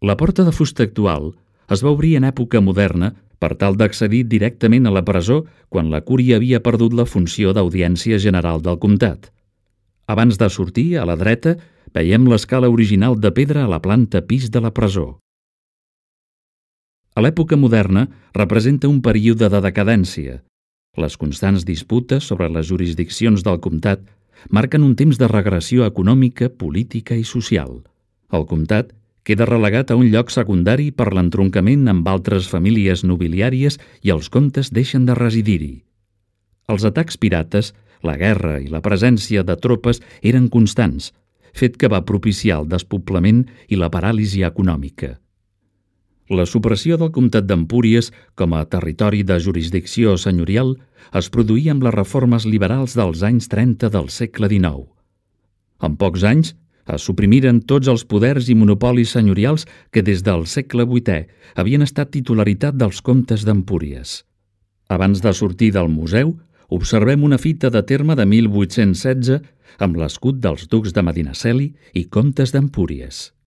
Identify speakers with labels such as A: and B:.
A: La porta de fusta actual es va obrir en època moderna per tal d'accedir directament a la presó quan la cúria havia perdut la funció d'audiència general del comtat. Abans de sortir, a la dreta, veiem l'escala original de pedra a la planta pis de la presó. A l'època moderna representa un període de decadència. Les constants disputes sobre les jurisdiccions del comtat marquen un temps de regressió econòmica, política i social. El comtat queda relegat a un lloc secundari per l'entroncament amb altres famílies nobiliàries i els comtes deixen de residir-hi. Els atacs pirates, la guerra i la presència de tropes eren constants, fet que va propiciar el despoblament i la paràlisi econòmica. La supressió del comtat d'Empúries com a territori de jurisdicció senyorial es produïa amb les reformes liberals dels anys 30 del segle XIX. En pocs anys es suprimiren tots els poders i monopolis senyorials que des del segle VIII havien estat titularitat dels comtes d'Empúries. Abans de sortir del museu, observem una fita de terme de 1816 amb l'escut dels ducs de Medinaceli i comtes d'Empúries.